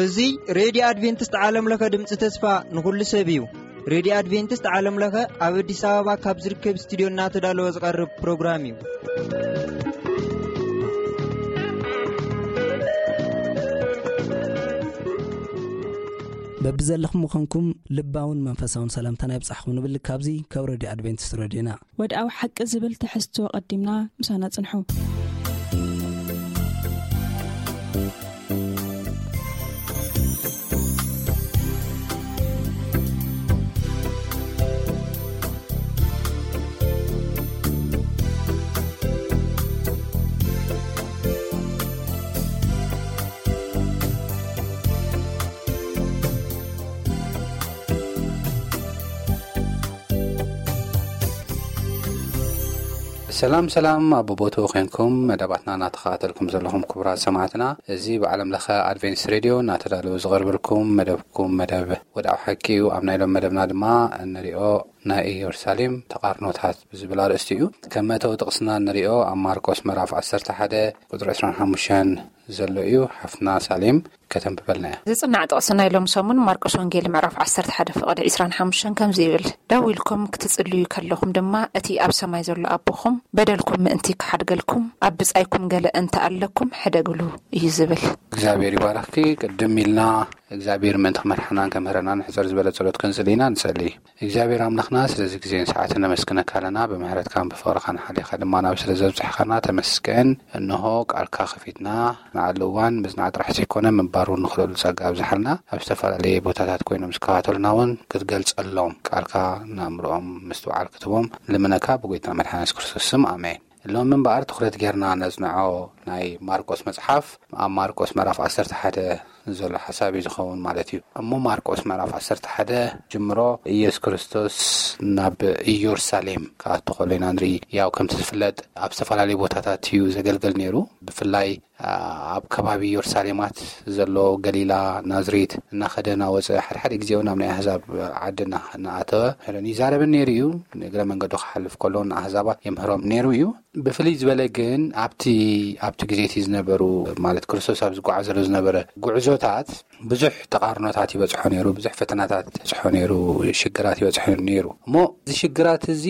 እዚ ሬድዮ ኣድቬንቲስት ዓለም ለኸ ድምፂ ተስፋ ንኹሉ ሰብ እዩ። ሬድዮ ኣድቬንቲስት ዓለም ለኸ ኣብ ኣዲስ ኣበባ ካብ ዝርከብ ስቱድዮ እናተዳለወ ዝቐርብ ፕሮግራም እዩ። በብዘለኹም ምዃንኩም ልባውን መንፈሳውን ሰላምታና ይብጻሕኩም ንብል። ካብዚ ካብ ሬድዮ ኣድቬንቲስት ሬድዮና። ወድኣዊ ሓቂ ዝብል ትሕዝቶ ቀዲምና ምሳና ጽንሑ። ሰላም ሰላም፣ ኣብ ቦታኡ ኮንኩም መደባትና እናተኸታተልኩም ዘለኹም ክቡራት ሰማዕትና፣ እዚ ብዓለም ለኸ ኣድቬንቲስት ሬድዮ እናተዳለወ ዝቐርበልኩም መደብኩም መደብ ወድኣዊ ሓቂ እዩ። ኣብ ናይ ሎም መደብና ድማ እንሪኦ ናይ ኢየሩሳሌም ተቓርኖታት ብዝብል ኣርእስቲ እዩ። ከም መእተዊ ጥቕስና እንሪኦ ኣብ ማርቆስ ምዕራፍ ዓሰርተ ሓደ ቁፅሪ ዕስራን ሓሙሽተን ዘሎ እዩ። ሓፍትና ሳሌም ከተንብበልና እያ። ዝጽናዕ ጥቕሲ ናይ ሎም ሰሙን ማርቆስ ወንጌል ምዕራፍ ዓሰርተ ሓደ ፍቕዲ ዕስራን ሓሙሽተን ከምዚ ይብል፣ ደው ኢልኩም ክትጽልዩ ከለኹም ድማ እቲ ኣብ ሰማይ ዘሎ ኣቦኹም በደልኩም ምእንቲ ክሓድገልኩም ኣብ ብጻይኩም ገለ እንተ ኣለኩም ሕደግሉ እዩ ዝብል። እግዚኣብሔር ይባርኽኪ። ቅድም ኢልና እግዚኣብሔር ምእንቲ ክመርሓናን ከምህረናን ሕጽር ዝበለ ጸሎት ክንጽሊ ኢና። ንጸሊ። እግዚኣብሔር ኣምላኽና ስለዚ ግዜን ሰዓትን ነመስግነካ ኣለና። ብምሕረትካን ብፍቕርኻን ሓሊኻ ድማ ናብ ስለ ዘብጽሕኻና ተመስገን። እንሆ ቃልካ ከፊትና ንዓሉ እዋን ምጽናዕ ጥራሕ ዘይኮነ ምንባር እውን ንኽእለሉ ጸጋ ኣብዝሓልና። ኣብ ዝተፈላለየ ቦታታት ኮይኖም ዝከታተሉና እውን ክትገልጸሎም ቃልካ ንኣእምሮኦም ምስትውዓል ክትቦም ልምነካ ብጎይታ መድሓን የሱስ ክርስቶስ ስም ኣሜን። ሎሚ እምበኣር ትኹረት ጌርና ነጽንዖ ናይ ማርቆስ መጽሓፍ ኣብ ማርቆስ ምዕራፍ ዓሰርተ ሓደ ዘሎ ሓሳብ እዩ ዝኸውን ማለት እዩ። እሞ ማርቆስ ምዕራፍ ዓሰርተ ሓደ ጅምሮ ኢየሱስ ክርስቶስ ናብ ኢየሩሳሌም ክኣቱ ከሎ ኢና ንርኢ። ያው ከምቲ ዝፍለጥ ኣብ ዝተፈላለዩ ቦታታት እዩ ዘገልግል ነይሩ። ብፍላይ ኣብ ከባቢ ኢየሩሳሌማት ዘሎ ገሊላ፣ ናዝሬት እናኸደ እናወፀ ሓድሓደ ግዜ እውን ኣብ ናይ ኣህዛብ ዓዲ እናኣተወ ይዛረብን ነይሩ እዩ። ንእግረ መንገዱ ክሓልፍ ከሎ ንኣህዛባት የምህሮም ነይሩ እዩ። ብፍልይ ዝበለ ግን ኣብቲ ኣብቲ ግዜ እቲ ዝነበሩ ማለት ክርስቶስ ኣብ ዝጓዓዘሉ ዝነበረ ጉዕዞታት ብዙሕ ተቓርኖታት ይበጽሖ ነይሩ፣ ብዙሕ ፈተናታት ይበጽሖ ነይሩ፣ ሽግራት ይበጽሖ ነይሩ። እሞ እዚ ሽግራት እዚ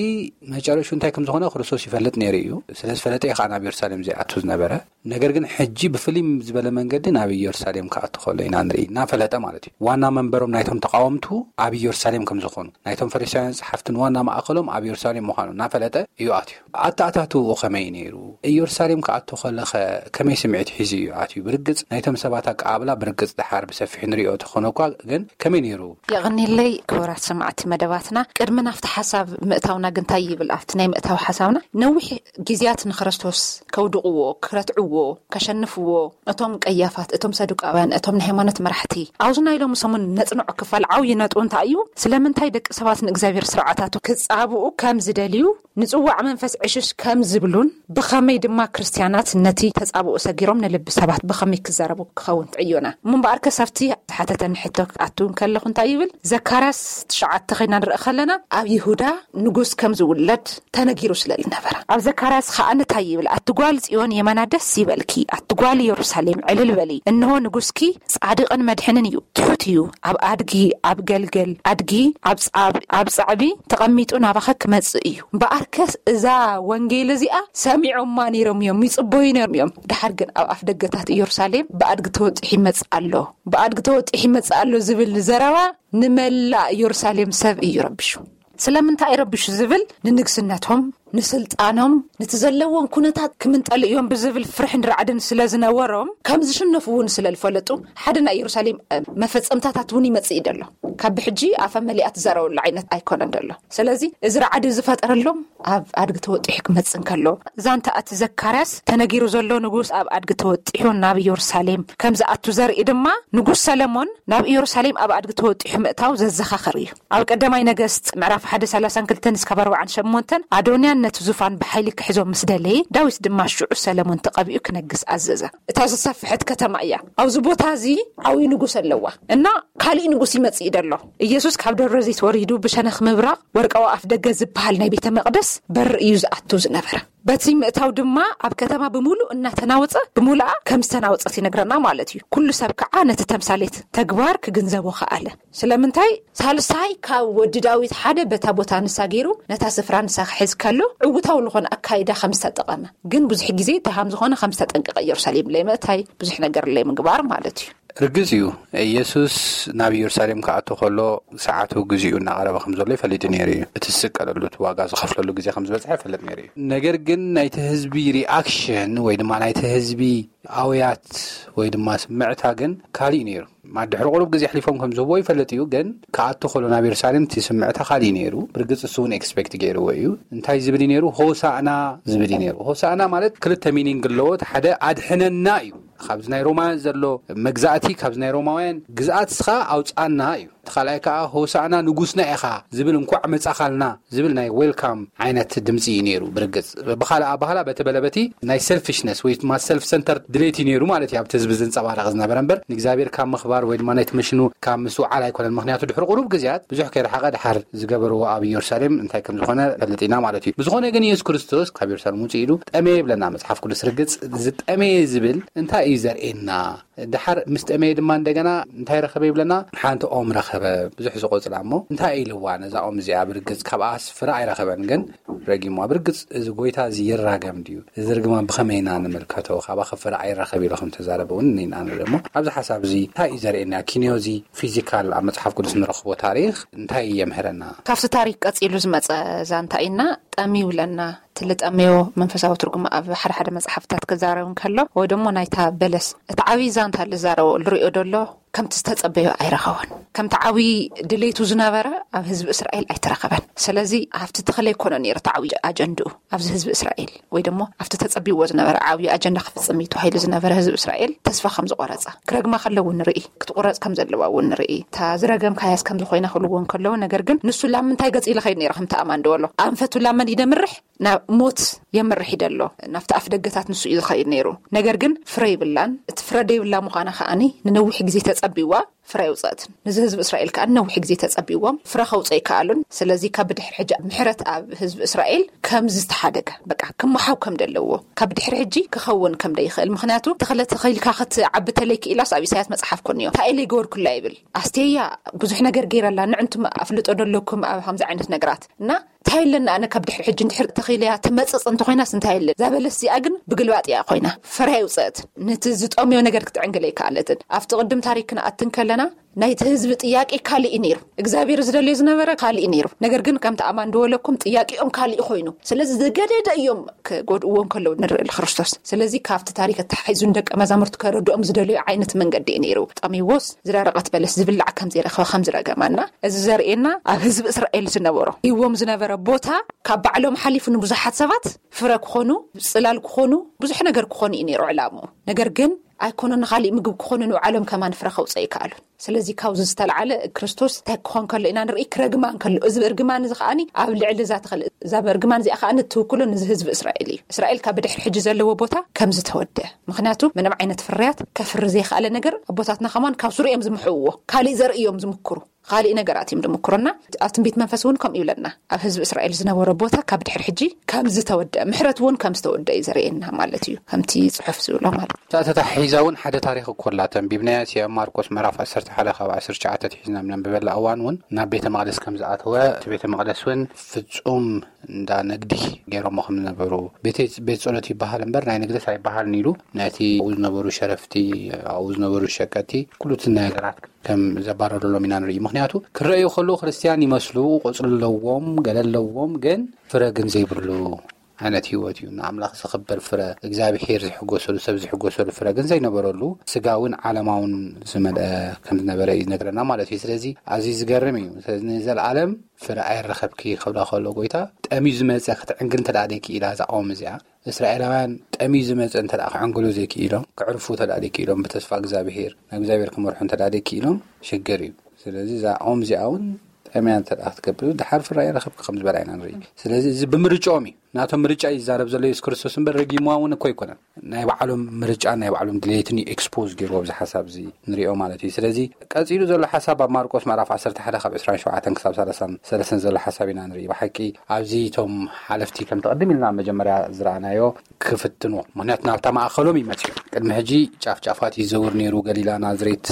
መጨረሹ እንታይ ከም ዝኾነ ክርስቶስ ይፈልጥ ነይሩ እዩ። ስለ ዝፈለጠ እዩ ከዓ ናብ ኢየሩሳሌም ዘይኣቱ ዝነበረ። ነገር ግን ሕጂ ብፍልይ ዝበለ መንገዲ ናብ ኢየሩሳሌም ክኣቱ ከሎ ኢና ንርኢ፣ እናፈለጠ ማለት እዩ። ዋና መንበሮም ናይቶም ተቃወምቱ ኣብ ኢየሩሳሌም ከም ዝኾኑ፣ ናይቶም ፈሪሳውያን ጸሓፍትን ዋና ማእከሎም ኣብ ኢየሩሳሌም ምዃኑ እናፈለጠ እዩ ኣትዩ። ኣተኣታትውኡ ከመይ ነይሩ? ኢየሩሳሌም ክኣቱ ከለኸ ከመይ ስምዒት ሒዙ እዩ ኣትዩ? ብርግጽ ናይቶም ሰባት ኣቀባብላ ብርግጽ ደሓር ብሰፊሑ ንሪኦ ተኾነ እኳ ግን ከመይ ነይሩ? የቐኒለይ ክቡራት ሰማዕቲ መደባትና፣ ቅድሚ ናብቲ ሓሳብ ምእታውና ግን እንታይ ይብል ኣብቲ ናይ ምእታው ሓሳብና? ነዊሕ ግዜያት ንክርስቶስ ከውድቕዎ፣ ክረትዕዎ፣ ከሸንፍዎ፣ እቶም ቀያፋት፣ እቶም ሰዱቃውያን፣ እቶም ናይ ሃይማኖት መራሕቲ፣ ኣብዚ ናይ ሎሚ ሰሙን ነጽንዖ ክፋል ዓብዪ ነጥቡ እንታይ እዩ? ስለምንታይ ደቂ ሰባት ንእግዚኣብሔር ስርዓታቱ ክጻብኡ ከም ዝደልዩ፣ ንጽዋዕ መንፈስ ዕሽሽ ከም ዝብሉን፣ ብኸመይ ድማ ክርስትያናት ነቲ ተጻብኦ ሰጊሮም ንልቢ ሰባት ብኸመይ ክዛረቡ ክኸውን ትዕዮና። እሞ እምበኣርከስ ኣብቲ ዝሓተተኒ ሕቶ ክኣቱ እንከለኹ እንታይ ይብል? ዘካርያስ ትሽዓተ ኸይና ንርኢ ከለና ኣብ ይሁዳ ንጉስ ከም ዝውለድ ተነጊሩ ስለ ዝነበረ። ኣብ ዘካርያስ ኸኣ እንታይ ይብል? ኣቲ ጓል ጽዮን የማና ደስ ይበልኪ፣ ኣቲ ጓል የሩሳሌም ዕልል በሊ፣ እንሆ ንጉስኪ ጻድቕን መድሕንን እዩ፣ ትሑት እዩ፣ ኣብ ኣድጊ፣ ኣብ ገልገል ኣድጊ፣ ኣብ ጻብ-፣ ኣብ ጻዕቢ ተቐሚጡ ናባኸ ክመጽእ እዩ። እምበኣርከስ እዛ ወንጌል እዚኣ ሰሚዖማ ነይሮም እዮም፣ ይጽበዩ ነይሮም እዮም። ደሓር ግን ኣብ ኣፍ ደገታት ኢየሩሳሌም ብኣድጊ ተወጢሑ ይመጽእ ኣሎ፣ ብኣድጊ ተወጢሑ ይመጽእ ኣሎ ዝብል ዘረባ ንመላእ ኢየሩሳሌም ሰብ እዩ ረቢሹ። ስለምንታይ እዩ ረቢሹ ዝብል፣ ንንግስነቶም፣ ንስልጣኖም፣ ነቲ ዘለዎም ኩነታት ክምንጠሉ እዮም ብዝብል ፍርሕን ራዕድን ስለ ዝነበሮም፣ ከም ዝሽነፉ እውን ስለ ዝፈለጡ፣ ሓደ ናይ ኢየሩሳሌም፣ እ፣ መፈጸምታታት እውን ይመጽእ እዩ ደሎ። ካብ ብሕጂ ኣፈ መሊኣ ትዛረበሉ ዓይነት ኣይኮነን ደሎ። ስለዚ እዚ ራዕዲ ዝፈጠረሎም ኣብ ኣድጊ ተወጢሑ ክመጽእ እንከሎ፣ ዛንታ እቲ ዘካርያስ ተነጊሩ ዘሎ ንጉስ ኣብ ኣድጊ ተወጢሑ ናብ ኢየሩሳሌም ከም ዝኣቱ ዘርኢ ድማ፣ ንጉስ ሰለሞን ናብ ኢየሩሳሌም ኣብ ኣድጊ ተወጢሑ ምእታው ዘዘኻኽር እዩ። ኣብ ቀዳማይ ነገስት ምዕራፍ ሓደ ሰላሳን ክልተን እስካብ ኣርባዓን ሸሞንተን ኣዶንያ ነቲ ዙፋን ብሓይሊ ክሕዞ ምስ ደለየ፣ ዳዊት ድማ ሽዑ ሰለሞን ተቐቢኡ ክነግስ ኣዘዘ። እታ ዝሰፍሐት ከተማ እያ። ኣብዚ ቦታ እዚ ዓብዪ ንጉስ ኣለዋ እና ካሊእ ንጉስ ይመጽእ እዩ ደሎ። ኢየሱስ ካብ ደብረ ዘይት ወሪዱ ብሸነኽ ምብራቕ ወርቃዊ ኣፍ ደገ ዝበሃል ናይ ቤተ መቕደስ በር እዩ ዝኣቱ ዝነበረ። በቲ ምእታው ድማ ኣብ ከተማ ብምሉእ እናተናወጸ ብምሉኣ ከም ዝተናወጸት ይነግረና ማለት እዩ። ኩሉ ሰብ ከዓ ነቲ ተምሳሌት ተግባር ክግንዘቦ ከኣለ። ስለምንታይ ሳልሳይ ካብ ወዲ ዳዊት ሓደ በታ ቦታ ንሳ ገይሩ ነታ ስፍራ ንሳ ክሕዝ ከሎ ዕውታዊ ዝኾነ ኣካይዳ ከም ዝተጠቐመ ግን ብዙሕ ግዜ እንታይ ከም ዝኾነ ከም ዝተጠንቀቐ ኢየሩሳሌም ለይ ምእታይ ብዙሕ ነገር ለይ ምግባር ማለት እዩ። ርግጽ እዩ። ኢየሱስ ናብ ኢየሩሳሌም ክኣቱ ከሎ ሰዓቱ ግዜኡ እናቐረበ ከም ዘሎ ይፈልጥ ነይሩ እዩ። እቲ ዝስቀለሉ እቲ ዋጋ ዝኸፍለሉ ግዜ ከም ዝበጽሐ ይፈልጥ ነይሩ እዩ። ነገር ግን ናይቲ ህዝቢ ሪኣክሽን ወይ ድማ ናይቲ ህዝቢ ኣውያት ወይ ድማ ስምዕታ ግን ካሊእ ነይሩ። ድሕሪ ቁሩብ ግዜ ኣሕሊፎም ከም ዝህቦ ይፈልጥ እዩ። ግን ክኣቱ ከሎ ናብ ኢየሩሳሌም እቲ ስምዕታ ካሊእ ነይሩ። ብርግጽ እሱ እውን ኤክስፔክት ገይርዎ እዩ። እንታይ ዝብል እዩ ነይሩ? ሆሳእና ዝብል እዩ ነይሩ። ሆሳእና ማለት ክልተ ሚኒንግ ኣለዎ። እቲ ሓደ ኣድሕነና እዩ። ካብዚ ናይ ሮማውያን ዘሎ መግዛእቲ፣ ካብዚ ናይ ሮማውያን ግዝኣት እስኻ ኣውፃና እዩ። እቲ ካልኣይ ከዓ ሆሳእና ንጉስና ኢኻ ዝብል፣ እንኳዕ መፃኻልና ዝብል ናይ ዌልካም ዓይነት ድምፂ እዩ ነይሩ። ብርግፅ ብኻልእ ኣባህላ በቲ በለበቲ ናይ ሰልፊሽነስ ወይ ድማ ሰልፍ ሰንተር ድሌት እዩ ነይሩ ማለት እዩ ኣብቲ ህዝቢ ዝንፀባረቕ ዝነበረ እምበር ንእግዚኣብሔር ካብ ምኽባር ወይ ድማ ናይቲ መሽኑ ካብ ምስውዓል ኣይኮነን። ምክንያቱ ድሕሪ ቁሩብ ግዜያት ብዙሕ ከይረሓቐ ድሓር ዝገበርዎ ኣብ ኢየሩሳሌም እንታይ ከም ዝኾነ ፈልጥ ኢና ማለት እዩ። ብዝኾነ ግን ኢየሱስ ክርስቶስ ካብ ኢየሩሳሌም ውፅእ ኢሉ ጠመየ ይብለና መፅሓፍ ቅዱስ። ርግፅ ዝጠመየ ዝብል እንታይ እዩ ዘርእየና? ድሓር ምስ ጠመየ ድማ እንደገና እንታይ ረኸበ ይብለና? ሓንቲ ኦም ረኸበ፣ ብዙሕ ዝቆፅላ እሞ እንታይ ኢልዋ ነዛ ኦም እዚኣ? ብርግፅ ካብኣ ፍረ ኣይረኸበን፣ ግን ረጊምዋ። ብርግፅ እዚ ጎይታ እዚ ይራገም ድዩ? እዚ ርግማን ብኸመይ ኢና ንምልከቶ? ካባኸ ፍረ ኣይረኸብ ኢሉ ከም ተዛረበ እውን ኢና ንርኢ። እሞ ኣብዚ ሓሳብ እዚ እንታይ እዩ ዘርእየና? ኪንዮ እዚ ፊዚካል ኣብ መፅሓፍ ቅዱስ ንረኽቦ ታሪኽ እንታይ የምህረና? ካብቲ ታሪክ ቀፂሉ ዝመፀ ዛንታ ኢና ጠምዩ ብለና። እቲ ልጠምዮ መንፈሳዊ ትርጉም ኣብ ሓደ ሓደ መጽሓፍታት ክዛረብ እንከሎ ወይ ደሞ ናይታ በለስ እቲ ዓብዪ ዛንታ ልዛረቦ ልሪኦ ደሎ ከምቲ ዝተጸበዮ ኣይረኸቦን። ከምቲ ዓብዪ ድሌቱ ዝነበረ ኣብ ህዝቢ እስራኤል ኣይተረኸበን። ስለዚ ኣብቲ ተኽለ ኣይኮነ ነይሩ እቲ ዓብዪ ኣጀንድኡ ኣብዚ ህዝቢ እስራኤል ወይ ደሞ ኣብቲ ተጸቢዎ ዝነበረ ዓብዪ ኣጀንዳ ክፍጽም እዩ ተባሂሉ ዝነበረ ህዝቢ እስራኤል ተስፋ ከም ዝቆረጸ ክረግማ ከለዉ ንርኢ፣ ክትቁረጽ ከም ዘለዋ እውን ንርኢ። እታ ዝረገምካያስ ከምዚ ኮይና ክብልዎ እንከለዉ ነገር ግን ንሱ ላም ምንታይ ገጽ ኢሉ ኸይድ ነይሩ ከምቲ ኣማን ድበሎ ኣንፈቱ ላመን ይደምርሕ ናብ ሞት የምርሕ ይደሎ ናብቲ ኣፍ ደገታት ንሱ እዩ ዝኸይድ ነይሩ። ነገር ግን ፍረ ይብላን እቲ ፍረ ደይብላ ምዃና ከኣኒ ንነዊሕ ግዜ ተጸቢዋ ፍረ ይውጸእትን። ንዚ ህዝቢ እስራኤል ከኣ ነዊሕ ግዜ ተጸቢዎም ፍረ ከውጸ ይከኣሉን። ስለዚ ካብ ብድሕሪ ሕጂ ምሕረት ኣብ ህዝቢ እስራኤል ከም ዝተሓደገ በቃ ክመሓው ከም ደለዎ ካብ ድሕሪ ሕጂ ክኸውን ከም ደይኽእል ምክንያቱ ተኽለ ተኺልካ ክትዓቢ ተለይ ክኢላስ ኣብ ኢሳያስ መጽሓፍ ኮንዮ እንታይ ኢለ ይገበርኩላ ይብል። ኣስተያ ብዙሕ ነገር ገይረላ ንዕንቱም ኣፍልጦ ደለኩም ኣብ ከምዚ ዓይነት ነገራት እና እንታይ ኣለና ኣነ ካብ ድሕሪ ሕጂ እንድሕር ተኺለያ ትመጽጽ እንተኾይናስ እንታይ ኣለ? እዛ በለስ እዚኣ ግን ብግልባጥ እያ ኮይና። ፍረ ኣይውጽአትን። ነቲ ዝጠምዮ ነገር ክትዕንግል ኣይከኣለትን። ኣብቲ ቅድም ታሪክ ክንኣቲ እንከለና ናይቲ ህዝቢ ጥያቄ ካልእ እዩ ነይሩ። እግዚኣብሔር ዝደልዮ ዝነበረ ካልእ እዩ ነይሩ። ነገር ግን ከምቲ ኣማን ድበለኩም ጥያቄኦም ካልእ ኮይኑ። ስለዚ ዝገደደ እዮም ክጎድእዎ እንከለዉ ንርኢ ንክርስቶስ። ስለዚ ካብቲ ታሪክ ኣተሓሒዙ ንደቀ መዛሙርቲ ከረድኦም ዝደልዮ ዓይነት መንገዲ እዩ ነይሩ። ጠምይዎስ ዝደረቐት በለስ ዝብላዕ ከም ዘይረኸበ ከም ዝረገማና እዚ ዘርእየና ኣብ ህዝቢ እስራኤል ዝነበሮ ሂዎም ዝነበረ ቦታ ካብ ባዕሎም ሓሊፉ ንብዙሓት ሰባት ፍረ ክኾኑ፣ ጽላል ክኾኑ፣ ብዙሕ ነገር ክኾኑ እዩ ነይሩ ዕላምኡ። ነገር ግን ኣይኮነ ንኻሊእ ምግቢ ክኾኑ ንባዕሎም ከማን ፍረ ከውፀ ይከኣሉ። ስለዚ ካብዚ ዝተለዓለ ክርስቶስ እንታይ ክኾን ከሎ ኢና ንርኢ ክረግማን ከሎ እዚ እርግማን እዚ ከዓኒ ኣብ ልዕሊ እዛ ተኽል እዛ እርግማን እዚኣ ከዓኒ ትውክሎ ንዚ ህዝቢ እስራኤል እዩ። እስራኤል ካብ ብድሕሪ ሕጂ ዘለዎ ቦታ ከም ዝተወደ ምክንያቱ ምንም ዓይነት ፍርያት ከፍሪ ዘይከኣለ ነገር ኣቦታትና ከማን ካብ ስሩ እዮም ዝምሕውዎ ካሊእ ዘርኢ እዮም ዝምክሩ ካሊእ ነገራት እዮም ዝምክሩና። ኣብ ትንቢት መንፈስ እውን ከምኡ ይብለና ኣብ ህዝቢ እስራኤል ዝነበረ ቦታ ካብ ድሕሪ ሕጂ ከም ዝተወደአ ምሕረት እውን ከም ዝተወደአ እዩ ዘርእየና ማለት እዩ ከምቲ ፅሑፍ ዝብሎ ማለት እዩ። እታ ተታሒዛ እውን ሓደ ታሪክ እኮ ኣላ ተንቢብናያ እያ ማርቆስ ምዕራፍ ዓሰርተ ሓደ ካብ ዓሰርተ ትሽዓተ ኣትሒዝና ብነንብበላ እዋን እውን ናብ ቤተ መቅደስ ከም ዝኣተወ እቲ ቤተ መቅደስ እውን ፍፁም እንዳ ንግዲ ገይሮሞ ከም ዝነበሩ ቤት ቤት ጸሎት ይበሃል እምበር ናይ ንግደት ኣይበሃልን ኢሉ ነቲ ኣብኡ ዝነበሩ ሸረፍቲ ኣብኡ ዝነበሩ ሸቀጥቲ ኩሉ እቲ ነገራት ከም ዘባረረሎም ኢና ንርኢ። ምክንያቱ ክረኣዩ ከለዉ ክርስትያን ይመስሉ፣ ቆጽሊ ኣለዎም፣ ገለ ኣለዎም፣ ግን ፍረ ግን ዘይብሉ ዓይነት ህይወት እዩ። ንኣምላኽ ዘኽብር ፍረ፣ እግዚኣብሄር ዝሕጎሰሉ፣ ሰብ ዝሕጎሰሉ ፍረ ግን ዘይነበረሉ ስጋውን ዓለማውን ዝመልአ ከም ዝነበረ እዩ ዝነግረና ማለት እዩ። ስለዚ ኣዝዩ ዝገርም እዩ። ስለዚ ንዘለኣለም ፍረ ኣይረኸብኪ ክብላ ከሎ ጎይታ ጠምዩ ዝመጸ ክትዕንግል እንተ ደኣ ደይክኢላ እዛ ቀውሚ እዚኣ እስራኤላውያን ጠምዩ ዝመጸ እንተ ደኣ ክዕንግሉ ዘይክኢሎም ክዕርፉ እንተ ደኣ ደይክኢሎም ብተስፋ እግዚኣብሄር ናብ እግዚኣብሄር ክመርሑ እንተ ደኣ ደይክኢሎም ሽግር እዩ። ስለዚ እዛ ኦም እዚኣ እውን ጠምያ እንተ ደኣ ክትገብር ድሓር ፍረ ኣይረኸብኪ ከም ዝበላ ኢና ንርኢ። ስለዚ እዚ ብምርጫኦም እዩ። ናቶም ምርጫ ይዛረብ ዘሎ የሱስ ክርስቶስ እምበር ረጊምዋ እውን እኮ ኣይኮነን። ናይ ባዕሎም ምርጫ ናይ ባዕሎም ድሌትን እዩ ኤክስፖዝ ገይርዎ ኣብዚ ሓሳብ እዚ ንሪኦ ማለት እዩ። ስለዚ ቀጺሉ ዘሎ ሓሳብ ኣብ ማርቆስ ምዕራፍ ዓሰርተ ሓደ ካብ ዕስራን ሸውዓተን ክሳብ ሰላሳን ሰለስተን ዘሎ ሓሳብ ኢና ንርኢ። ብሓቂ ኣብዚ እቶም ሓለፍቲ ከም ተቐድም ኢልና መጀመርያ ዝረኣናዮ ክፍትንዎ፣ ምክንያቱ ናብታ ማእኸሎም ይመጽኡ። ቅድሚ ሕጂ ጫፍ ጫፋት ይዘውር ነይሩ፣ ገሊላ፣ ናዝሬት፣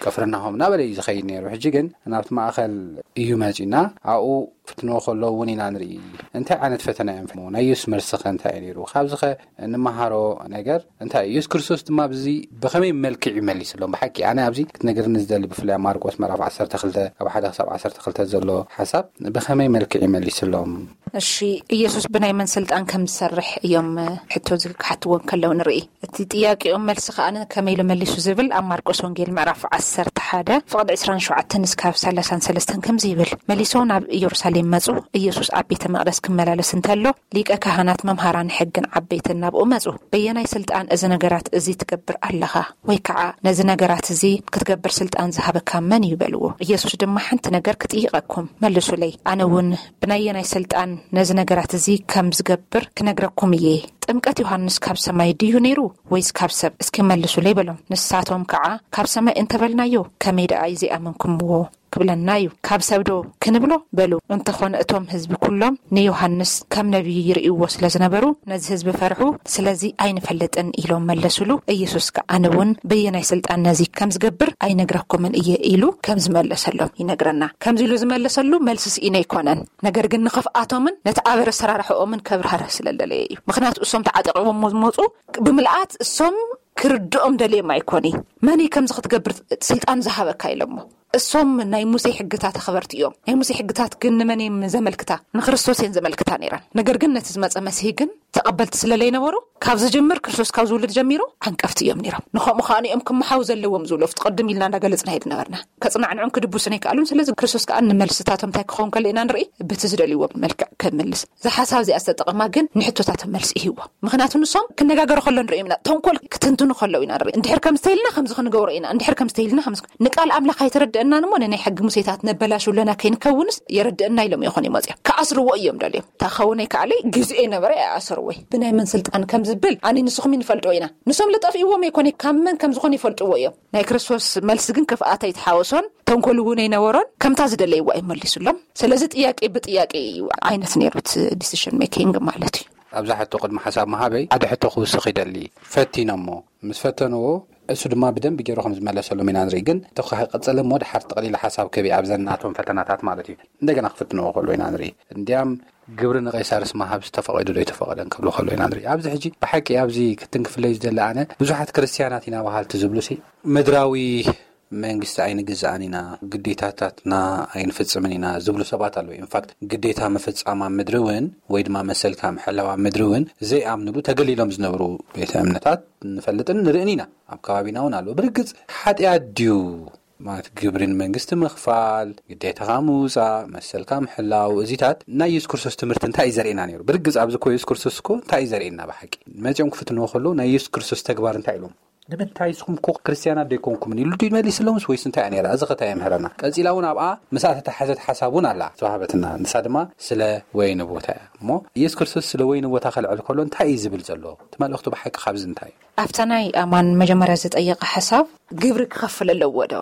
ቅፍርናሆም እናበለ እዩ ዝኸይድ ነይሩ። ሕጂ ግን ናብቲ ማእኸል እዩ መጺና ኣብኡ ፍትንዎ ከሎ እውን ኢና ንርኢ። እንታይ ዓይነት ፈተና እዮም ፈትንዎ? ናይ የሱስ መልሲ ከ እንታይ እዩ ነይሩ? ካብዚ ከ እንመሃሮ ነገር እንታይ እዩ? የሱስ ክርስቶስ ድማ ብዚ ብኸመይ መልክዕ ይመሊስሎም? ብሓቂ ኣነ ኣብዚ ክትነግርኒ ዝደሊ ብፍላይ ኣብ ማርቆስ ምዕራፍ ዓሰርተ ክልተ ካብ ሓደ ክሳብ ዓሰርተ ክልተ ዘሎ ሓሳብ ብኸመይ መልክዕ ይመሊስሎም? እሺ፣ ኢየሱስ ብናይ መን ስልጣን ከም ዝሰርሕ እዮም ሕቶ ዝክሓትዎ ከለዉ ንርኢ። እቲ ጥያቄኦም መልሲ ከኣ ከመይ ኢሉ መሊሱ ዝብል ኣብ ማርቆስ ወንጌል ምዕራፍ ዓሰርተ ሓደ ፍቕዲ ዕስራን ሸውዓተን እስካብ ሰላሳን ሰለስተን ከምዚ ይብል። መሊሶም ናብ ኢየሩሳሌም መጹ። ኢየሱስ ኣብ ቤተ መቕደስ ክመላለስ እንተሎ ሊቀ ካህናት መምሃራን ሕግን ዓበይትን ናብኡ መጹ። በየናይ ስልጣን እዚ ነገራት እዚ ትገብር ኣለኻ? ወይ ከዓ ነዚ ነገራት እዚ ክትገብር ስልጣን ዝሃበካ መን እዩ? በልዎ። ኢየሱስ ድማ ሓንቲ ነገር ክጥይቐኩም መልሱለይ። ኣነ እውን ብናየናይ ስልጣን ነዚ ነገራት እዚ ከም ዝገብር ክነግረኩም እየ። ጥምቀት ዮሃንስ ካብ ሰማይ ድዩ ነይሩ ወይስ ካብ ሰብ? እስኪ መልሱለይ በሎም። ንሳቶም ከዓ ካብ ሰማይ እንተበልናዮ ከመይ ደኣ እዩ ዘይኣመንኩምዎ ክብለና እዩ። ካብ ሰብ ዶ ክንብሎ በሉ። እንተኾነ እቶም ህዝቢ ኩሎም ንዮሃንስ ከም ነቢይ ይርእይዎ ስለ ዝነበሩ ነዚ ህዝቢ ፈርሑ። ስለዚ ኣይንፈልጥን ኢሎም መለሱሉ። ኢየሱስ ከዓ ኣነ እውን በየናይ ስልጣን ነዚ ከም ዝገብር ኣይነግረኩምን እየ ኢሉ ከም ዝመለሰሎም ይነግረና። ከምዚ ኢሉ ዝመለሰሉ መልሲ ስኢነ ኣይኮነን። ነገር ግን ንኽፍኣቶምን ነቲ ኣበር ኣሰራርሕኦምን ከብርሃረ ስለ ዝደለየ እዩ። ምኽንያቱ እሶም ተዓጢቕዎም ዝመፁ ብምልኣት እሶም ክርድኦም ደልዮም ኣይኮኒ። መን እዩ ከምዚ ክትገብር ስልጣን ዝሃበካ ኢሎሞ። እሶም ናይ ሙሴ ሕግታት ኣኽበርቲ እዮም። ናይ ሙሴ ሕግታት ግን ንመን እዮም ዘመልክታ? ንክርስቶስ እየን ዘመልክታ ነይረን። ነገር ግን ነቲ ዝመፀ መሲህ ግን ተቐበልቲ ስለ ዘይነበሩ ካብ ዝጅምር ክርስቶስ ካብ ዝውልድ ጀሚሩ ዓንቀፍቲ እዮም ነይሮም። ንኸምኡ ከዓ እዮም ክመሓው ዘለዎም ዝብሉ ኣብቲ ቅድም ኢልና እንዳገለፅና ይድ ነበርና። ከፅናዕንዑን ክድብሱን ኣይከኣሉን። ስለዚ ክርስቶስ ከዓ ንመልስታቶም እንታይ ክኸውን ከሎ ኢና ንርኢ? በቲ ዝደልይዎ መልክዕ ክምልስ። እዛ ሓሳብ እዚኣ ዝተጠቐማ ግን ንሕቶታቶም መልሲ ይህዎ። ምኽንያቱ ንሶም ክነጋገሩ ከሎ ንሪኦም ኢና፣ ተንኮል ክትንትኑ ከለዉ ኢና ንርኢ። እንድሕር ከም ዝተይልና ከምዚ ክንገብሮ ኢና፣ እንድሕር ከም ዝተይልና ከምዚ ንቃል ኣምላኽ ኣይተረድአናን እሞ ንናይ ሕጊ ሙሴታት ነበላሹ ኣለና ከይንከውንስ የረድአና ኢሎም ይኾኑ ይመፅኦም። ክኣስርዎ እዮም ደልዮም። እታ ኸውን ኣይከኣለይ ግዜኡ ነበረ ኣይኣሰርዎይ። ብናይ መን ስልጣን ከም ዝብል ኣነ ንስኹም ይንፈልጥዎ ኢና። ንሶም ልጠፍእዎም ኣይኮነ ካብ መን ከም ዝኾኑ ይፈልጥዎ እዮም። ናይ ክርስቶስ መልሲ ግን ክፍኣት ኣይተሓወሶን ተንኮል እውን ኣይነበሮን። ከምታ ዝደለይዋ እዩ መሊሱሎም። ስለዚ ጥያቄ ብጥያቄ እዩ ዓይነት ነይሩ እቲ ዲሲሽን ሜኪንግ ማለት እዩ። ኣብዛ ሕቶ ቅድሚ ሓሳብ መሃበይ ሓደ ሕቶ ክውስኽ ይደሊ። ፈቲኖሞ ምስ ፈተንዎ እሱ ድማ ብደንብ ገይሩ ከም ዝመለሰሎም ኢና ንርኢ። ግን ተኸ ቀጸለ እሞ ድሓር ጠቕሊላ ሓሳብ ክህብ ኣብዘን ናቶም ፈተናታት ማለት እዩ። እንደገና ክፍትንዎ ከሎ ኢና ንርኢ። እንዲያም ግብሪ ንቀይሳርስ ምሃብ ዝተፈቐደ ዶ ኣይተፈቐደን ክብሉ ከሎ ኢና ንርኢ። ኣብዚ ሕጂ ብሓቂ ኣብዚ ክትንክፍለይ ዝደሊ ኣነ ብዙሓት ክርስትያናት ኢና በሃልቲ ዝብሉ ሲ ምድራዊ መንግስቲ ኣይንግዛእን ኢና፣ ግዴታታትና ኣይንፍጽምን ኢና ዝብሉ ሰባት ኣለዉ። ኢንፋክት ግዴታ ምፍጻም ኣብ ምድሪ እውን ወይ ድማ መሰልካ ምሕላው ኣብ ምድሪ እውን ዘይኣምንሉ ተገሊሎም ዝነብሩ ቤተ እምነታት ንፈልጥን ንርእን ኢና። ኣብ ከባቢና እውን ኣለዉ። ብርግጽ ሓጢኣት ድዩ? ማለት ግብርን መንግስቲ ምኽፋል፣ ግዴታኻ ምውጻእ፣ መሰልካ ምሕላው፣ እዚታት ናይ የሱስ ክርስቶስ ትምህርቲ እንታይ እዩ ዘርእየና ነይሩ? ብርግጽ ኣብዚ እኮ የሱስ ክርስቶስ እኮ እንታይ እዩ ዘርእየና ብሓቂ? መጺኦም ክፍትንዎ ከለዉ ናይ የሱስ ክርስቶስ ተግባር እንታይ ኢሎም? ንምንታይ ንስኹም እኮ ክርስትያናት ደይኮንኩምን ኢሉ ድዩ መሊስሎምስ ወይስ እንታይ እያ ነይራ? እዚ ኸ እንታይ የምህረና? ቀጺላ እውን ኣብኣ ምስኣ ተተሓዘት ሓሳብ እውን ኣላ ዝተዋህበትና። ንሳ ድማ ስለ ወይኒ ቦታ እያ። እሞ የሱስ ክርስቶስ ስለ ወይኒ ቦታ ከልዕል ከሎ እንታይ እዩ ዝብል ዘሎ? እቲ መልእኽቱ ብሓቂ ካብዚ እንታይ እዩ? ኣብታ ናይ ኣማን መጀመርያ ዝጠየቐ ሓሳብ ግብሪ ክኸፍል ኣለዎ ዶ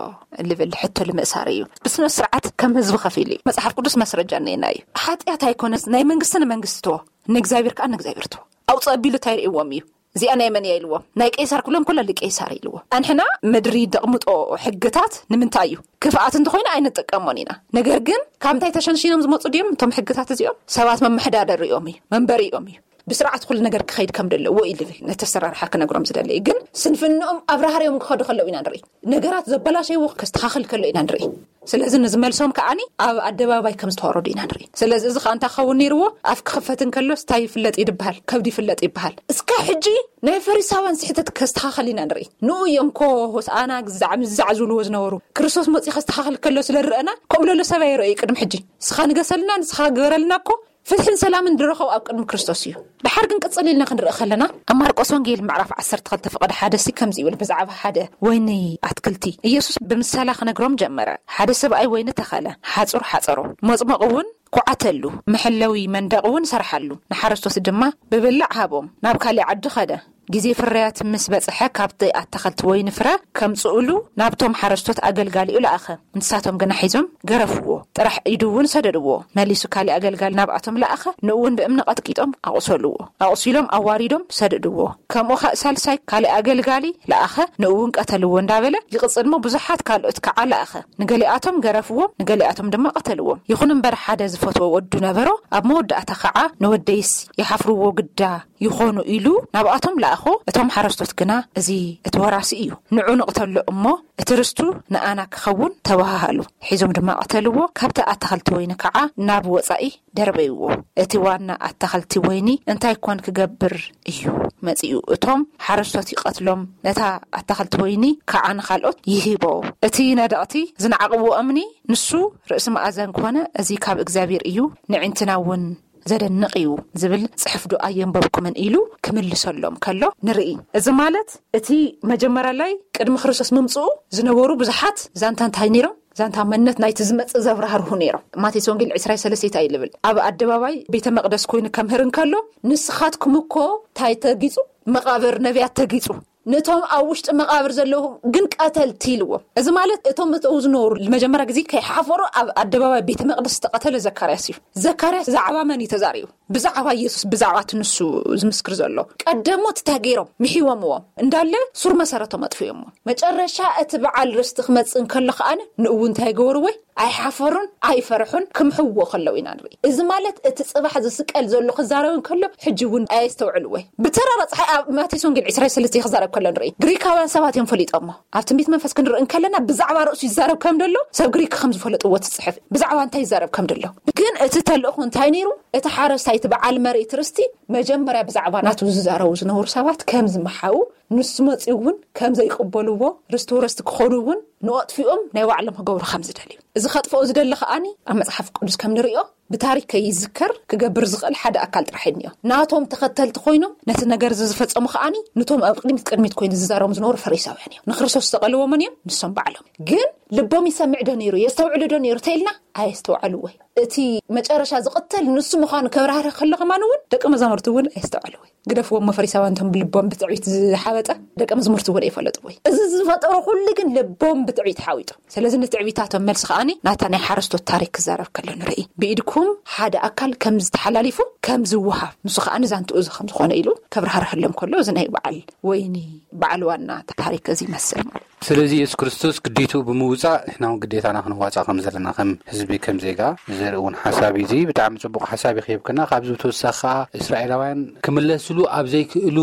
ልብል ሕቶ ልምእሳር እዩ። ብስነ ስርዓት ከም ህዝቢ ከፊሉ እዩ። መጽሓፍ ቅዱስ መስረጃ እኔና እዩ። ሓጢኣት ኣይኮነስ ናይ መንግስቲ ንመንግስቲ ትዎ ንእግዚኣብሔር ከዓ ንእግዚኣብሔር ትዎ ኣውፅእ ኣቢሉ እንታይ ርእዎም እዩ? እዚኣ ናይ መን እያ ኢልዎም? ናይ ቄሳር ክብሎም ከሎ ልቄሳር ኢልዎም። ኣንሕና ምድሪ ደቕምጦ ሕግታት ንምንታይ እዩ? ክፍኣት እንተኾይኑ ኣይንጥቀሞን ኢና። ነገር ግን ካብ እንታይ ተሸንሺኖም ዝመፁ ድዮም እቶም ሕግታት እዚኦም? ሰባት መመሐዳደሪኦም እዩ፣ መንበሪኦም እዩ። ብስርዓት ኩሉ ነገር ክኸይድ ከም ዘለዎ እዩ ልብል ነቲ ኣሰራርሓ ክነግሮም ዝደሊ እዩ። ግን ስንፍንኦም ኣብራህርዮም ክኸዱ ከለዉ ኢና ንርኢ። ነገራት ዘበላሸይዎ ከስተኻኽል ከሎ ኢና ንርኢ። ስለዚ ንዝመልሶም ከዓኒ ኣብ ኣደባባይ ከም ዝተዋረዱ ኢና ንርኢ። ስለዚ እዚ ከዓ እንታይ ክኸውን ነይርዎ? ኣፍ ክኽፈት እንከሎስ እንታይ ይፍለጥ ይድበሃል? ከብዲ ይፍለጥ ይበሃል። እስካ ሕጂ ናይ ፈሪሳውያን ስሕተት ከስተኻኸል ኢና ንርኢ። ንኡ እዮም ኮ ሆሳኣና ግዛዕ ምዛዕ ዝብልዎ ዝነበሩ። ክርስቶስ መፂኡ ከስተኻኸል ከሎ ስለ ንረአና ከምኡ ለሎ ሰብ ኣይረእዩ ቅድሚ ሕጂ። ንስኻ ንገሰልና፣ ንስኻ ግበረልና እኮ ፍትሕን ሰላምን ዝረኸቡ ኣብ ቅድሚ ክርስቶስ እዩ። ድሓር ግን ቅጽል ኢልና ክንርኢ ከለና ኣብ ማርቆስ ወንጌል ምዕራፍ ዓሰርተ ክልተ ፍቕዲ ሓደ ሲ ከምዚ ይብል። ብዛዕባ ሓደ ወይኒ ኣትክልቲ ኢየሱስ ብምሳላ ክነግሮም ጀመረ። ሓደ ሰብኣይ ወይኒ ተኸለ፣ ሓጹር ሓጸሮ። መጽመቕ እውን ኩዓተሉ፣ መሐለዊ መንደቕ እውን ሰርሓሉ። ንሓረስቶት ድማ ብብላዕ ሃቦም። ናብ ካሊእ ዓዲ ኸደ። ግዜ ፍርያት ምስ በጽሐ፣ ካብቲ ኣታኸልቲ ወይኒ ፍረ ከምጽኡሉ ናብቶም ሓረስቶት ኣገልጋሊኡ ለኣኸ። ንሳቶም ግና ሒዞም ገረፍዎ። ጥራሕ ኢዱ እውን ሰደድዎ። መሊሱ ካሊእ ኣገልጋሊ ናብኣቶም ለኣኸ። ንእውን ብእምኒ ቀጥቂጦም ኣቑሰልዎ። ኣቑሲሎም ኣዋሪዶም ሰደድዎ። ከምኡ ኸእ ሳልሳይ ካሊእ ኣገልጋሊ ለኣኸ። ንእውን ቀተልዎ እንዳበለ ይቕጽል እሞ፣ ብዙሓት ካልኦት ከዓ ለኣኸ። ንገሊኣቶም ገረፍዎም፣ ንገሊኣቶም ድማ ቀተልዎም። ይኹን እምበር፣ ሓደ ዝፈትዎ ወዱ ነበሮ። ኣብ መወዳእታ ከዓ፣ "ንወደይስ ይሓፍርዎ ግዳ ይኾኑ?" ኢሉ ናብኣቶም ለኣኾ። እቶም ሓረስቶት ግና፣ "እዚ እቲ ወራሲ እዩ፣ ንዑ ንቕተሎ እሞ፣ እቲ ርስቱ ንኣና ክኸውን" ተባሃሃሉ። ሒዞም ድማ ቀተልዎ። ካብቲ ኣታኸልቲ ወይኒ ከዓ ናብ ወጻኢ ደርበይዎ። እቲ ዋና ኣታኸልቲ ወይኒ እንታይ ኮን ክገብር እዩ መጺኡ? እቶም ሓረስቶት ይቐትሎም፣ ነታ ኣታኸልቲ ወይኒ ከዓ ንኻልኦት ይሂቦ። እቲ ነደቕቲ ዝነዓቕዎ እምኒ ንሱ ርእሲ መኣዘን ኮነ፣ እዚ ካብ እግዚኣብሔር እዩ፣ ንዕንትና እውን ዘደንቕ እዩ ዝብል ጽሑፍ ዶ ኣየንበብኩምን? ኢሉ ክምልሰሎም ከሎ ንርኢ። እዚ ማለት እቲ መጀመርያ ላይ ቅድሚ ክርስቶስ ምምጽኡ ዝነበሩ ብዙሓት ዛንታ እንታይ ነይሮም? ዛንታ መንነት ናይቲ ዝመጽእ ዘብራህርሁ ነይሮም። ማቴዎስ ወንጌል ዕስራ ሰለስተ እንታይ ይብል? ኣብ ኣደባባይ ቤተ መቕደስ ኮይኑ ከምህር እንከሎ፣ "ንስኻትኩም እኮ እንታይ ተጊጹ? መቓብር ነቢያት ተጊጹ። ነቶም ኣብ ውሽጢ መቓብር ዘለዉ ግን ቀተልቲ" ኢልዎም። እዚ ማለት እቶም እተው ዝነበሩ መጀመርያ ግዜ ከይሓፈሩ ኣብ ኣደባባይ ቤተ መቕደስ ዝተቐተለ ዘካርያስ እዩ። ዘካርያስ ብዛዕባ መን እዩ ተዛሪቡ? ብዛዕባ ኢየሱስ፣ ብዛዕባ እቲ ንሱ ዝምስክር ዘሎ። ቀደሞት እንታይ ገይሮም? ምሒዎምዎም። እንዳለ ሱር መሰረቶም ኣጥፊኦምዎ። መጨረሻ እቲ በዓል ርስቲ ክመጽእ እንከሎ ከኣ ንእውን እንታይ ገበርዎ? ኣይሓፈሩን፣ ኣይፈርሑን፣ ክምሕዎ ከለዉ ኢና ንርኢ። እዚ ማለት እቲ ጽባሕ ዝስቀል ዘሎ ክዛረብ እንከሎ፣ ሕጂ እውን ኣየስተውዕልዎ። ብተራ ረጽሓ ኣብ ማቴዎስ ወንጌል ዕስራ ሰለስተ ክዛረብ ከሎ ንርኢ። ግሪካውያን ሰባት እዮም ፈሊጦሞ። ኣብ ትንቢት መንፈስ ክንርኢ እንከለና፣ ብዛዕባ ርእሱ ይዛረብ ከም ደሎ፣ ሰብ ግሪክ ከም ዝፈለጥዎ ትጽሕፍ። ብዛዕባ እንታይ ይዛረብ ከም ደሎ። ግን እቲ ተልእኾ እንታይ ነይሩ? እቲ ሓረስታይ፣ እቲ በዓል መሬት ርስቲ፣ መጀመርያ ብዛዕባ ናቱ ዝዛረቡ ዝነበሩ ሰባት ከም ዝመሓዉ፣ ንሱ መጺኡ እውን ከም ዘይቅበልዎ፣ ርስቲ ወረስቲ ክኾኑ እውን ንኣጥፊኦም ናይ ባዕሎም ክገብሩ ከም ዝደልዩ። እዚ ከጥፍኦ ዝደሊ ከኣኒ ኣብ መጽሓፍ ቅዱስ ከም ንርእዮ ብታሪክ ከይዝከር ክገብር ዝኽእል ሓደ ኣካል ጥራሕ እዩ እኒኦ። ናቶም ተኸተልቲ ኮይኖም ነቲ ነገር እዚ ዝፈጸሙ ከኣኒ ንቶም ኣብ ቅድሚት ቅድሚት ኮይኑ ዝዛረቦም ዝነበሩ ፈሪሳውያን እዮም። ንክርስቶስ ዝተቐልዎ መን እዮም? ንሶም ባዕሎም። ግን ልቦም ይሰምዕ ዶ ነይሩ? የስተውዕሉ ዶ ነይሩ? ተኢልና ኣየስተውዓልዎ። እቲ መጨረሻ ዝቕተል ንሱ ምዃኑ ከብራህርህ ከሎ ከማን እውን ደቂ መዛሙርቲ እውን ኣየስተውዓልዎ። ግደፍዎም፣ ፈሪሳውያን እቶም ብልቦም ብትዕቢት ዝሓበጠ ደቂ መዛሙርቲ እውን ኣይፈለጥዎ። እዚ ዝፈጠሮ ኩሉ ግን ልቦም ብትዕቢት ሓዊጡ። ስለዚ ንትዕቢታቶም መልሲ ከኣኒ ናታ ናይ ሓረስቶት ታሪክ ክዛረብ ከሎ ንርኢ። ብኢድኩም ሓደ ኣካል ከም ዝተሓላሊፉ ከም ዝወሃብ፣ ንሱ ከኣ ንዛንትኡ እዚ ከም ዝኾነ ኢሉ ከብራህርህሎም ከሎ፣ እዚ ናይ በዓል ወይኒ በዓል ዋና ታሪክ እዚ ይመስል ማለት እዩ። ስለዚ የሱስ ክርስቶስ ግዴትኡ ብምውጻእ ንሕና እውን ግዴታና ክንዋጻእ ከም ዘለና ከም ህዝቢ፣ ከም ዜጋ ዘርኢ እውን ሓሳብ እዩ። እዚ ብጣዕሚ ጽቡቕ ሓሳብ እዩ ክህብክና። ካብዚ ብተወሳኺ ከኣ እስራኤላውያን ክምለስሉ ኣብ ዘይክእሉ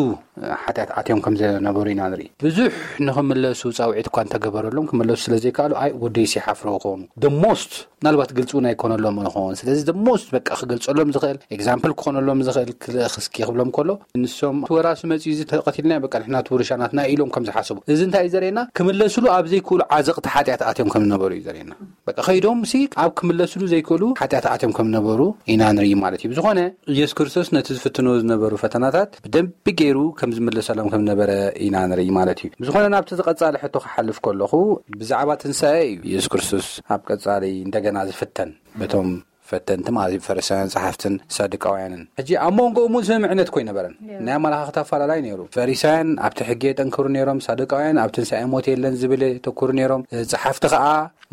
ሓጢኣት ኣትዮም ከም ዝነበሩ ኢና ንርኢ። ብዙሕ ንኽምለሱ ጻውዒት እኳ እንተገበረሎም ክምለሱ ስለ ዘይከኣሉ፣ ኣይ ወደይስ ይሓፍሮ ክኾኑ። The most ምናልባት ግልጺ እውን ኣይኮነሎም ይኸውን። ስለዚ the most በቃ ክገልጸሎም ዝኽእል፣ ኤግዛምፕል ክኾነሎም ዝኽእል ክልእኽ እስኪ ክብሎም ከሎ፣ ንሶም እቲ ወራሲ መጺኡ እዚ ተቐቲልና በቃ ንሕና እቲ ውርሻ ናትና ኢሎም ከም ዝሓሰቡ። እዚ እንታይ እዩ ዘርእየና? ክምለስሉ ኣብ ዘይክእሉ ዓዘቕቲ ሓጢኣት ኣትዮም ከም ዝነበሩ እዩ ዘርእየና። በቃ ከይዶም ሲ ኣብ ክምለስሉ ዘይክእሉ ሓጢኣት ኣትዮም ከም ዝነበሩ ኢና ንርኢ ማለት እዩ። ብዝኾነ ኢየሱስ ክርስቶስ ነቲ ዝፍትንዎ ዝነበሩ ፈተናታት ብደንቢ ገይሩ ከም ዝምለሰሎም ከም ዝነበረ ኢና ንርኢ ማለት እዩ። ብዝኾነ ናብቲ ዝቐጻሊ ሕቶ ክሓልፍ ከለኹ ብዛዕባ ትንሳኤ እዩ ኢየሱስ ክርስቶስ ኣብ ቀጻሊ እንደገና ዝፍተን በቶም ፈተንቲ ማለት እዩ፣ ፈሪሳውያን ጸሓፍትን ሳዱቃውያንን። ሕጂ ኣብ መንጎኦም እውን ስምምዕነት እኮ ኣይነበረን። ናይ ኣመለኻኽታ ኣፈላላይ ነይሩ። ፈሪሳውያን ኣብቲ ሕጊ የጠንክሩ ነይሮም፣ ሳዱቃውያን ኣብ ትንሳኤ ሞት የለን ዝብል የተኩሩ ነይሮም። ጸሓፍቲ ከኣ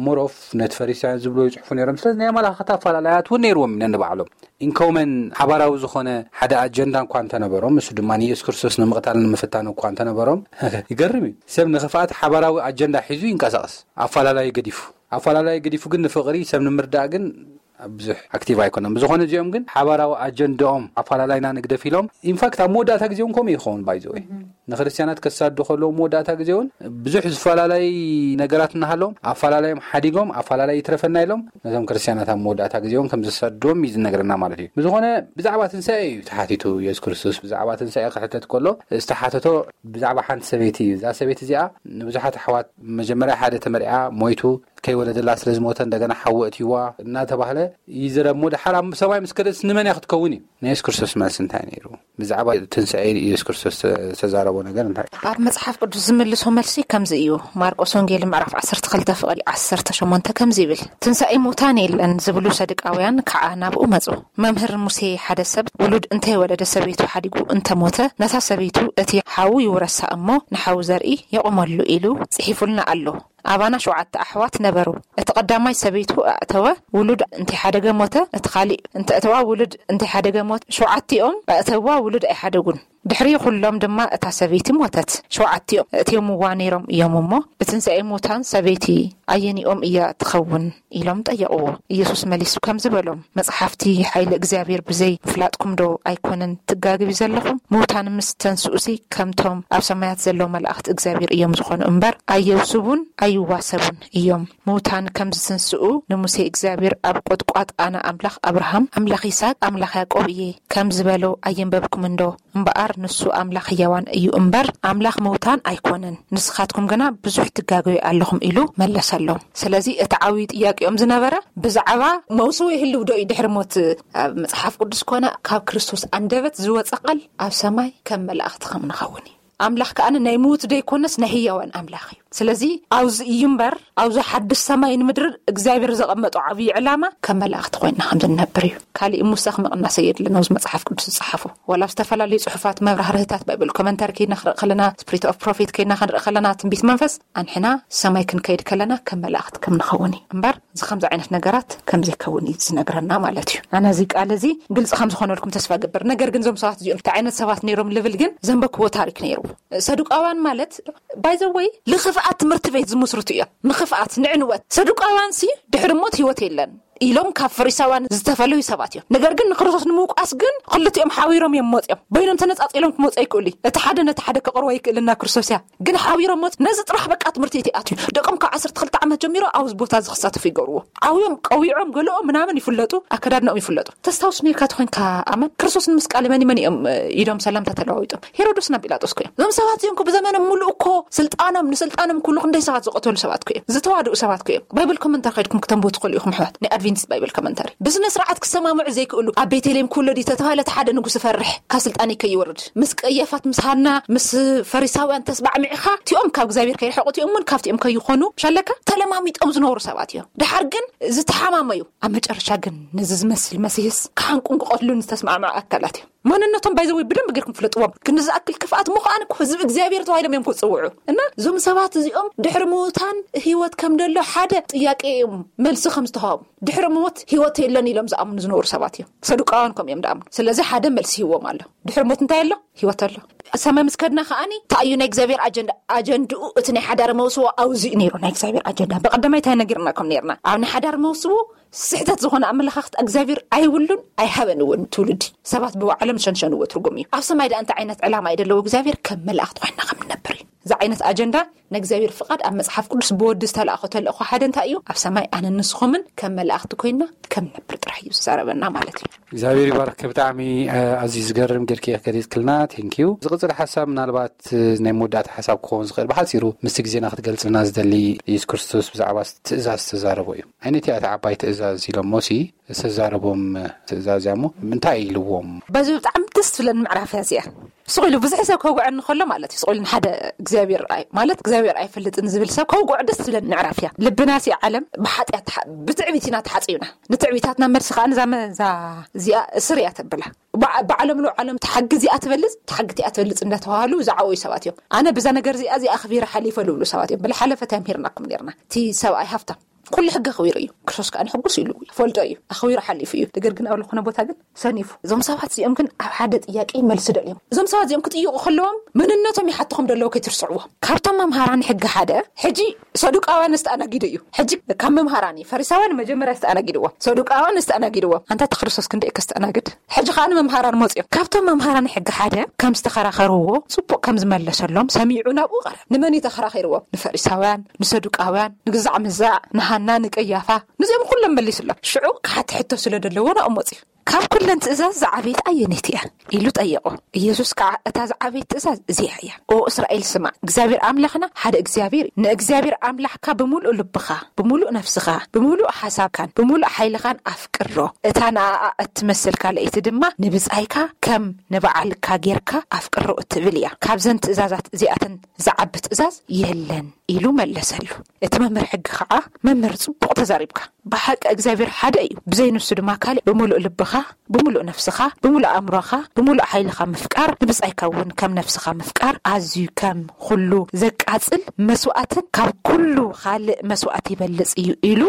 ሞሮፍ ነቲ ፈሪሳውያን ዝብሎ ይጽሕፉ ነይሮም። ስለዚ ናይ ኣመለኻኽታ ኣፈላላያት እውን ነይርዎም ነንባዕሎም። ኢንኮመን ሓባራዊ ዝኾነ ሓደ ኣጀንዳ እኳ እንተነበሮም፣ እሱ ድማ ንየሱስ ክርስቶስ ንምቕታል ንምፍታን እኳ እንተነበሮም፣ ይገርም እዩ። ሰብ ንኽፍኣት ሓባራዊ ኣጀንዳ ሒዙ ይንቀሳቐስ። ኣፈላላይ ገዲፉ ኣፈላላይ ገዲፉ ግን ንፍቕሪ ሰብ ንምርዳእ ግን ብዙሕ ኣክቲቭ ኣይኮነን። ብዝኾነ እዚኦም ግን ሓባራዊ ኣጀንዳኦም ኣፈላላይና ንግደፍ ኢሎም። ኢንፋክት ኣብ መወዳእታ ግዜውን ከምኡ ይኸውን ባይዘወይ ንክርስትያናት ከሳዱ ከለዉ መወዳእታ ግዜውን ብዙሕ ዝፈላለይ ነገራት እናሃለዎም ኣፈላላዮም ሓዲጎም ኣፈላላይ ይትረፈና ኢሎም ነቶም ክርስትያናት ኣብ መወዳእታ ግዜውን ከም ዘሳድዎም እዩ ዝነግረና ማለት እዩ። ብዝኾነ ብዛዕባ ትንሳኤ እዩ ተሓቲቱ የሱስ ክርስቶስ። ብዛዕባ ትንሳኤ ክሕተት ከሎ ዝተሓተቶ ብዛዕባ ሓንቲ ሰበይቲ እዩ። እዛ ሰበይቲ እዚኣ ንብዙሓት ኣሕዋት መጀመርያ ሓደ ተመርዓ ሞይቱ ከይወለደላ ስለ ዝሞተ እንደገና ሓዊ ኣእትይዋ እናተባህለ ይዝረብ እሞ፣ ድሓር ኣብ ሰማይ ምስ ከደትስ ንመን እያ ክትከውን እዩ? ናይ የሱስ ክርስቶስ መልሲ እንታይ ነይሩ? ብዛዕባ ትንሳኤ ኢየሱስ ክርስቶስ ዝተዛረቦ ነገር እንታይ? ኣብ መጽሓፍ ቅዱስ ዝምልሶ መልሲ ከምዚ እዩ። ማርቆስ ወንጌል ምዕራፍ ዓሰርተ ክልተ ፍቕዲ ዓሰርተ ሸሞንተ ከምዚ ይብል፣ "ትንሳኤ ሙታን የለን" ዝብሉ ሰዱቃውያን ከዓ ናብኡ መጹ። "መምህር ሙሴ፣ ሓደ ሰብ ውሉድ እንተይወለደ ሰበይቱ ሓዲጉ እንተሞተ፣ ነታ ሰበይቱ እቲ ሓዉ ይውረሳ እሞ ንሓዉ ዘርኢ የቑመሉ ኢሉ ጽሒፉልና ኣሎ። ኣባና ሸውዓተ ኣሕዋት ነበሩ። እቲ ቀዳማይ ሰበይቱ ኣእተወ፣ ውሉድ እንተይሓደገ ሞተ። እቲ ካሊእ እንተእተዋ፣ ውሉድ እንተይሓደገ ሞተ። ሸውዓቲኦም ኣእተዋ፣ ውሉድ ኣይሓደጉን። ድሕሪ ኩሎም ድማ እታ ሰበይቲ ሞተት። ሸውዓቲኦም እእትዮምዋ ነይሮም እዮም እሞ፣ ብትንሳኤ ሙታን ሰበይቲ ኣየኒኦም እያ ትኸውን?" ኢሎም ጠየቕዎ። ኢየሱስ መሊሱ ከምዚ በሎም፣ "መጽሓፍቲ ሓይሊ እግዚኣብሔር ብዘይ ምፍላጥኩም ዶ ኣይኮነን ትጋግቢ ዘለኹም? ምውታን ምስ ተንስኡሲ ከምቶም ኣብ ሰማያት ዘለዉ መላእኽቲ እግዚኣብሔር እዮም ዝኾኑ እምበር፣ ኣየውስቡን ኣይዋሰቡን እዮም። ምውታን ከም ዝትንስኡ ንሙሴ እግዚኣብሔር ኣብ ቁጥቋጥ ኣነ ኣምላኽ ኣብርሃም፣ ኣምላኽ ይስሐቅ፣ ኣምላኽ ያዕቆብ እየ ከም ዝበሎ ኣየንበብኩምን ዶ? እምበኣር ንሱ ኣምላኽ ህያዋን እዩ እምበር ኣምላኽ ምውታን ኣይኮነን። ንስኻትኩም ግና ብዙሕ ትጋገዩ ኣለኹም" ኢሉ መለሰሎም። ስለዚ እቲ ዓብዪ ጥያቄኦም ዝነበረ ብዛዕባ መውስቦ ይህልው ዶ እዩ ድሕሪ ሞት? ኣብ መጽሓፍ ቅዱስ ኮነ ካብ ክርስቶስ ኣንደበት ዝወጸ ቃል ኣብ ሰማይ ከም መላእኽቲ ከም ንኸውን እዩ። ኣምላኽ ከኣ ናይ ምዉት ዘይኮነስ ናይ ህያዋን ኣምላኽ እዩ። ስለዚ ኣብዚ እዩ እምበር፣ ኣብዚ ሓድሽ ሰማይን ምድርን እግዚኣብሔር ዘቐመጦ ዓብዪ ዕላማ ከም መላእኽቲ ኮይንና ከም ዝንነብር እዩ። ካሊእ ምውሳኽ ምቕናስ የድልን። ኣብዚ መጽሓፍ ቅዱስ ዝጸሓፎ ዋላ ኣብ ዝተፈላለዩ ጽሑፋት፣ መብራህርህታት፣ ባይብል ኮመንታሪ ከይድና ክንርኢ ከለና፣ ስፕሪት ኦፍ ፕሮፌት ከይድና ክንርኢ ከለና፣ ትንቢት መንፈስ ኣንሕና ሰማይ ክንከይድ ከለና ከም መላእኽቲ ከም ንኸውን እዩ እምበር፣ እዚ ከምዚ ዓይነት ነገራት ከም ዘይከውን እዩ ዝነግረና ማለት እዩ። ኣነ እዚ ቃል እዚ ግልጺ ከም ዝኾነልኩም ተስፋ ገብር። ነገር ግን እዞም ሰባት እዚኦም እንታይ ዓይነት ሰባት ነይሮም ልብል ግን ዘንበክዎ ታሪክ ነይሩ። ሰዱቃውያን ማለት ባይዘወይ ንክፍኣት ትምህርቲ ቤት ዝምስርቱ እዮም። ንክፍኣት፣ ንዕንወት። ሰዱቃውያን ሲ ድሕሪ ሞት ህይወት የለን ኢሎም ካብ ፈሪሳውያን ዝተፈለዩ ሰባት እዮም። ነገር ግን ንክርስቶስ ንምውቃስ ግን ክልቲኦም ሓቢሮም እዮም መፅኦም። በይኖም ተነፃፂሎም ክመፁ ኣይክእሉ። እቲ ሓደ ነቲ ሓደ ክቕርቦ ኣይክእልን ናብ ክርስቶስ እያ። ግን ሓቢሮም መፁ። ነዚ ጥራሕ በቃ ትምህርቲ እቲ ኣትዩ። ደቆም ካብ ዓሰርተ ክልተ ዓመት ጀሚሮ ኣብዚ ቦታ እዚ ክሳተፉ ይገብርዎ። ዓብዮም ቀዊዖም ገለኦም ምናምን ይፍለጡ፣ ኣከዳድናኦም ይፍለጡ። ተስታውስ ነርካ ተኾይንካ ኣመን ክርስቶስ ንምስቃል መን መን እዮም ኢዶም ሰላምታ ተለዋዊጦም? ሄሮዶስ ናብ ጲላጦስ እኮ እዮም። እዞም ሰባት እዮም እኮ ብዘመኖም ሙሉእ እኮ ስልጣኖም ንስልጣኖም ኩሉ ክንደይ ሰባት ዝቐተሉ ሰባት እኮ እዮም። ዝተዋድኡ ሰባት እኮ እዮም። ባይብል ኮመንተሪ ከይድኩም ክተንብቡ ትኽእሉ ኢኹም ኣሕዋት። ናይ ኣድቬንቲስት ባይብል ኮመንተሪ። ብስነ ስርዓት ክሰማምዑ ዘይክእሉ ኣብ ቤተልሔም ክውለድ እዩ ተተባህለ እቲ ሓደ ንጉስ ይፈርሕ። ካብ ስልጣን ከይወርድ ምስ ቀያፋት ምስ ሃና ምስ ፈሪሳውያን ተስማዕሚዕኻ እቲኦም ካብ እግዚኣብሔር ከይርሕቑ እቲኦም እውን ካብቲኦም ከይኾኑ ሻለካ ተለማሚጦም ዝነበሩ ሰባት እዮም። ድሓር ግን ዝተሓማመዩ ኣብ መጨረሻ ግን ነዚ ዝመስል መሲህስ ክሓንቁን ክቐትሉን ዝተስማዕምዑ ኣካላት እዮም። ማንነቶም ባይዘወይ ብደንብ ጌርኩም ፍለጥዎም። ክንዲ ዝኣክል ክፍኣት ምዃን እኮ ህዝቢ እግዚኣብሔር ተባሂሎም እዮም ክፅውዑ። እና እዞም ሰባት እዚኦም ድሕሪ ምውታን ህይወት ከም ደሎ ሓደ ጥያቄ እዮም መልሲ ከም ዝተዋህቡ። ድሕሪ ሞት ህይወት የለን ኢሎም ዝኣምኑ ዝነበሩ ሰባት እዮም። ሰዱቃውያን ከም እዮም ዝኣምኑ። ስለዚ ሓደ መልሲ ይህዎም ኣሎ። ድሕሪ ሞት እንታይ ኣሎ? ህይወት ኣሎ። ሰማይ ምስ ከድና ከኣኒ እንታይ እዩ ናይ እግዚኣብሔር ኣጀንዳ? ኣጀንድኡ እቲ ናይ ሓዳር መውስቦ ኣውዚ እዩ ነይሩ። ናይ እግዚኣብሔር ኣጀንዳ ብቐዳማይ እንታይ ነጊርናኩም ነርና? ኣብ ናይ ሓዳር መውስቦ ስሕተት ዝኾነ ኣመለኻኽታ እግዚኣብሔር ኣይብሉን ኣይሃበን እውን። ትውልዲ ሰባት ብባዕሎም ዝሸንሸንዎ ትርጉም እዩ። ኣብ ሰማይ ደኣ እንታይ ዓይነት ዕላማ እዩ ዘለዎ እግዚኣብሔር? ከም መላእኽቲ ኮይንና ከም ንነብር እዩ። እዚ ዓይነት ኣጀንዳ ንእግዚኣብሔር ፍቓድ ኣብ መጽሓፍ ቅዱስ ብወዲ ዝተላእኾ ተልእኾ ሓደ እንታይ እዩ? ኣብ ሰማይ ኣነ ንስኹምን ከም መላእኽቲ ኮይንና ከም ንነብር ጥራሕ እዩ ዝዛረበና ማለት እዩ። እግዚኣብሔር ይባርክ። ብጣዕሚ ኣዝዩ ዝገርም ጌርኪ ገሊጽክልና። ቴንኪዩ። ዝቕጽል ሓሳብ ምናልባት ናይ መወዳእታ ሓሳብ ክኸውን ዝኽእል ብሓጺሩ ምስቲ ግዜና ክትገልጽልና ዝደሊ፣ ኢየሱስ ክርስቶስ ብዛዕባ ትእዛዝ ዝተዛረቦ እዩ። ዓይነት እያ እታ ዓባይ ትእዛዝ ኢሎሞ ሲ ዝተዛረቦም ትእዛዝ እያ እሞ እንታይ ኢልዎም? በዚ ብጣዕሚ ደስ ትብለኒ ምዕራፍ እያ እዚኣ። ስቕ ኢሉ ብዙሕ ሰብ ከውግዐኒ ከሎ ማለት እዩ። ስቕ ኢሉ ንሓደ እግዚኣብሔር ኣይ-፣ ማለት እግዚኣብሔር ኣይፈልጥን ዝብል ሰብ ከውግዖ ደስ ትብለኒ ምዕራፍ እያ። ልብና ሲ ዓለም ብሓጢኣት ተሓ-፣ ብትዕቢት ኢና ተሓጺብና። ንትዕቢታትና መልሲ ከኣ ንዛ መ-፣ እዛ እዚኣ እስር እያ ተብላ። ባዕ-፣ ባዕሎም ንባዕሎም ተሓጊ እዚኣ ትበልጽ፣ ተሓጊ እቲኣ ትበልጽ እንዳተባሃሉ ዝዓበዩ ሰባት እዮም። ኣነ ብዛ ነገር እዚኣ፣ እዚኣ ኣኽቢረ ሓሊፈ ልብሉ ሰባት እዮም። ብልሓለፈት እያ ምሂርናኩም ነርና። እቲ ሰብኣይ ሃብታም ኩሉ ሕጊ ኣኽቢሩ እዩ። ክርስቶስ ከኣ ንሕጉስ ኢሉ ይፈልጦ እዩ። ኣኽቢሩ ሓሊፉ እዩ። ነገር ግን ኣብ ዝኾነ ቦታ ግን ሰኒፉ። እዞም ሰባት እዚኦም ግን ኣብ ሓደ ጥያቄ መልሲ ደልዮም። እዞም ሰባት እዚኦም ክጥይቁ ከለዎም መንነቶም ይሓትኹም ደለዉ ከይትርስዕዎ። ካብቶም መምሃራን ሕጊ ሓደ፣ ሕጂ ሰዱቃውያን ዝተኣናጊዱ እዩ። ሕጂ ካብ መምሃራን እዩ። ፈሪሳውያን መጀመርያ ዝተኣናጊድዎም። ሰዱቃውያን ዝተኣናጊድዎም። ኣንታ እቲ ክርስቶስ ክንደይ ከስተኣናግድ። ሕጂ ከኣ ንመምሃራን መጽዮም። ካብቶም መምሃራን ሕጊ ሓደ ከም ዝተኸራኸርዎ ጽቡቕ ከም ዝመለሰሎም ሰሚዑ ናብኡ ቀረብ። ንመን እዩ ተኸራኺርዎም? ንፈሪሳውያን፣ ንሰዱቃውያን፣ ንግዛዕ ምዛዕ፣ ንሃና፣ ንቀያፋ። ንዚኦም ኩሎም መሊሱሎም። ሽዑ ክሓቲ ሕቶ ስለ ደለዎ ናብኡ መጽዩ። ካብ ኩለን ትእዛዝ ዝዓበየት ኣየነይቲ እያ? ኢሉ ጠየቆ። ኢየሱስ ከዓ፣ እታ ዝዓበየት ትእዛዝ እዚኣ እያ። ኦ እስራኤል ስማዕ፣ እግዚኣብሔር ኣምላኽና ሓደ እግዚኣብሔር እዩ። ንእግዚኣብሔር ኣምላኽካ ብምሉእ ልብኻ፣ ብምሉእ ነፍስኻ፣ ብምሉእ ሓሳብካን ብምሉእ ሓይልኻን ኣፍቅሮ። እታ ንኣኣ እትመስል ካልኣይቲ ድማ ንብጻይካ ከም ንባዕልካ ጌርካ ኣፍቅሮ እትብል እያ። ካብዘን ትእዛዛት እዚኣተን ዝዓቢ ትእዛዝ የለን ኢሉ መለሰሉ። እቲ መምህር ሕጊ ከዓ፣ መምህር ጽቡቕ ተዛሪብካ፣ ብሓቂ እግዚኣብሔር ሓደ እዩ፣ ብዘይ ንሱ ድማ ካልእ ብምሉእ ልብኻ፣ ብምሉእ ነፍስኻ፣ ብምሉእ ኣእምሮኻ፣ ብምሉእ ሓይልኻ ምፍቃር፣ ንብጻይካ እውን ከም ነፍስኻ ምፍቃር ኣዝዩ ከም ኩሉ ዘቃጽል መስዋእትን ካብ ኩሉ ካልእ መስዋእት ይበልጽ እዩ ኢሉ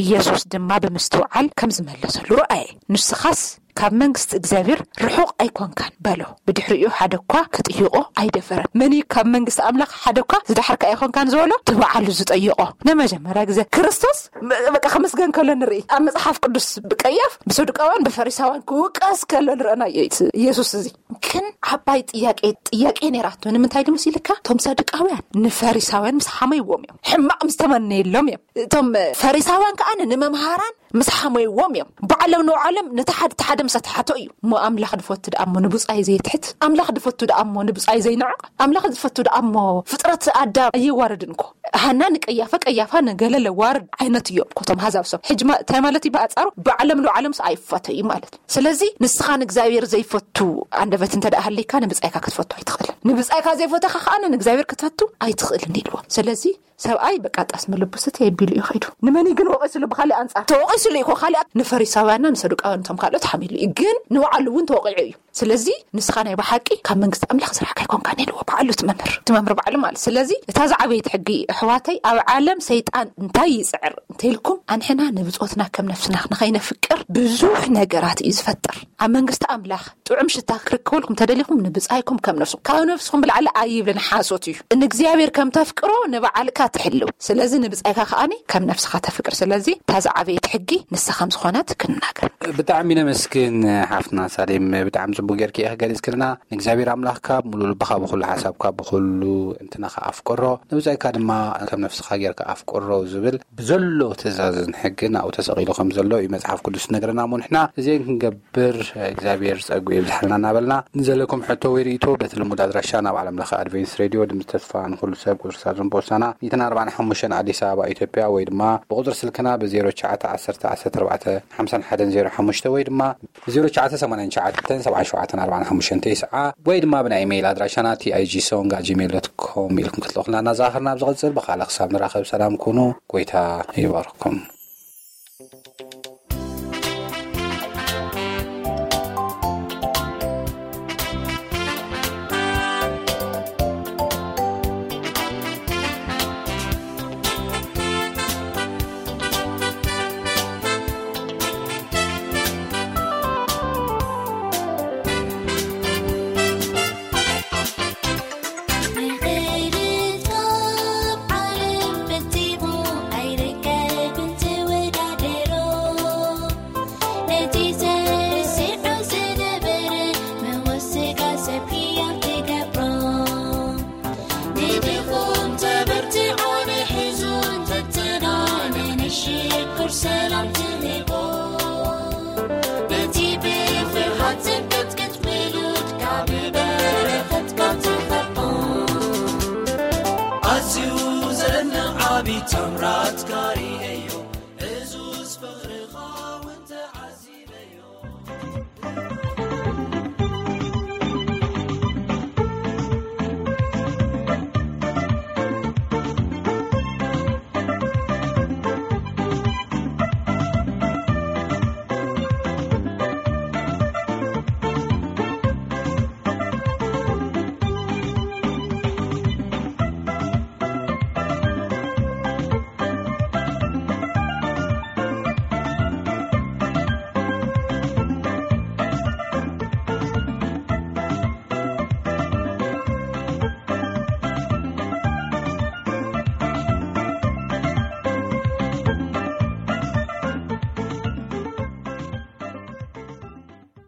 ኢየሱስ ድማ ብምስትውዓል ከም ዝመለሰሉ ረኣየ። ንስኻስ ካብ መንግስቲ እግዚኣብሔር ርሑቕ ኣይኮንካን በሎ። ብድሕሪኡ ሓደ እኳ ክጥይቆ ኣይደፈረን። መን እዩ ካብ መንግስቲ ኣምላኽ ሓደ እኳ ዝደሓርካ ኣይኮንካን ዝበሎ? እቲ በዓሉ ዝጠየቆ። ንመጀመርያ ግዜ ክርስቶስ ም- በቃ ክምስገን ከሎ ንርኢ። ኣብ መጽሓፍ ቅዱስ ብቀያፍ ብሰዱቃውያን ብፈሪሳውያን ክውቀስ ከሎ ንረእናዮ እዩ እቲ ኢየሱስ እዚ። ግን ዓባይ ጥያቄ ጥያቄ ነይራቶ። ንምንታይ ድምስ ኢልካ? እቶም ሰዱቃውያን ንፈሪሳውያን ምስ ሓመይዎም እዮም፣ ሕማቕ ምስ ተመነየሎም እዮም። እቶም ፈሪሳውያን ከዓ ንመምሃራን ምስ ሓመይዎም እዮም። ባዕሎም ንባዕሎም ነቲ ሓደ እቲ ሓደ ምስ ኣትሓቶ እዩ። እሞ ኣምላኽ ድፈቱ ደኣ እሞ ንብጻይ ዘይትሕት፣ ኣምላኽ ድፈቱ ደኣ እሞ ንብጻይ ዘይንዕቕ፣ ኣምላኽ ዝፈቱ ደኣ እሞ ፍጥረት ኣዳም ኣየዋርድን እኮ። ሃና ንቀያፋ፣ ቀያፋ ንገለ ለዋርድ ዓይነት እዮም እኮ እቶም ሃዛብ ሰብ። ሕጂ ማ- እንታይ ማለት እዩ? ብኣጻሩ ባዕሎም ንባዕሎምስ ኣይፋተዩ ማለት። ስለዚ ንስኻ ንእግዚኣብሔር ዘይፈቱ ኣንደበት እንተ ደኣ ሃለይካ ንብጻይካ ክትፈቱ ኣይትኽእልን። ንብጻይካ ዘይፈተኻ ከኣ ንእግዚኣብሔር ክትፈቱ ኣይትኽእልን ኢልዎ። ስለዚ ሰብኣይ በቃ ጣስ መለቡስት የቢሉ እዩ ኸይዱ። ንመን ግን ወቒስሉ? ብኻሊእ ኣንጻር ተወቒስሉ እዩ እኮ። ካሊኣት ንፈሪሳውያንና ንሰዱቃውያን እቶም ካልኦት ሓሚሉ እዩ፣ ግን ንባዕሉ እውን ተወቒዑ እዩ። ስለዚ ንስኻ ናይ ብሓቂ ካብ መንግስቲ ኣምላኽ ስራሕካ ኣይኮንካን ኢልዎ ባዕሉ እቲ መምህር፣ እቲ መምህር ባዕሉ ማለት። ስለዚ እታ ዝዓበየት ሕጊ ኣሕዋተይ፣ ኣብ ዓለም ሰይጣን እንታይ ይጽዕር እንተኢልኩም፣ ኣንሕና ንብጾትና ከም ነፍስና ንኸይነፍቅር ብዙሕ ነገራት እዩ ዝፈጥር። ኣብ መንግስቲ ኣምላኽ ጥዑም ሽታ ክርከበልኩም ተደሊኹም ንብጻይኩም ከም ነፍስኹም፣ ካብ ነፍስኹም ብላዕሊ ኣይብልን፣ ሓሶት እዩ። ንእግዚኣብሔር ከም ተፍቅሮ ንባዕልካ ትሕልው። ስለዚ ንብጻይካ ከኣኒ ከም ነፍስኻ ተፍቅር። ስለዚ እታ ዝዓበየት ሕጊ ንሳ ከም ዝኾነት ክንናገር። ብጣዕሚ ነመስግን ሓፍትና ሳሌም፣ ብጣዕሚ ጽቡቅ ጌርኪ ኢኺ ገሊጽክልና። ንእግዚኣብሔር ኣምላኽካ ብሙሉእ ልብኻ፣ ብኹሉ ሓሳብካ፣ ብኹሉ እንትናኻ ኣፍቅሮ፣ ንብጻይካ ድማ ከም ነፍስኻ ጌርካ ኣፍቅሮ ዝብል ብዘሎ ትእዛዝን ሕግን ኣብኡ ተሰቒሉ ከም ዘሎ እዩ መጽሓፍ ቅዱስ ዝነግረና። እሞ ንሕና እዚአን ክንገብር እግዚኣብሔር ጸጉ ይብዝሓልና እናበልና፣ ንዘለኩም ሕቶ ወይ ርእይቶ በቲ ልሙድ ኣድራሻ ናብ ዓለም ለኸ ኣድቬንስ ሬድዮ ድምፂ ተስፋ ንኹሉ ሰብ፣ ቁፅሪ ሳጥን ፖስታና ሚእትን ኣርባዕን ሓሙሽተን፣ ኣዲስ ኣበባ ኢትዮጵያ፣ ወይ ድማ ብቁፅሪ ስልክና ብ ዜሮ ትሽዓተ ዓሰርተ ዓሰርተ ኣርባዕተ ሓምሳን ሓደን ዜሮ ሓሙሽተ ወይ ድማ ብ ዜሮ ትሽዓተ ሰማንያን ትሽዓተን ሰብዓን ሸውዓተን ኣርባዓን ሓሙሽተን ተስዓ ወይ ድማ ብናይ ኢሜይል ኣድራሻና ቲ ኣይ ጂ ሶንግ ኣት ጂሜይል ዶት ኮም ኢልኩም ክትልእኹልና እናዘኻኸርና፣ ኣብ ዝቕጽል ብኻልእ ክሳብ ንራኸብ ሰላም ኩኑ። ጎይታ ይባርኩም።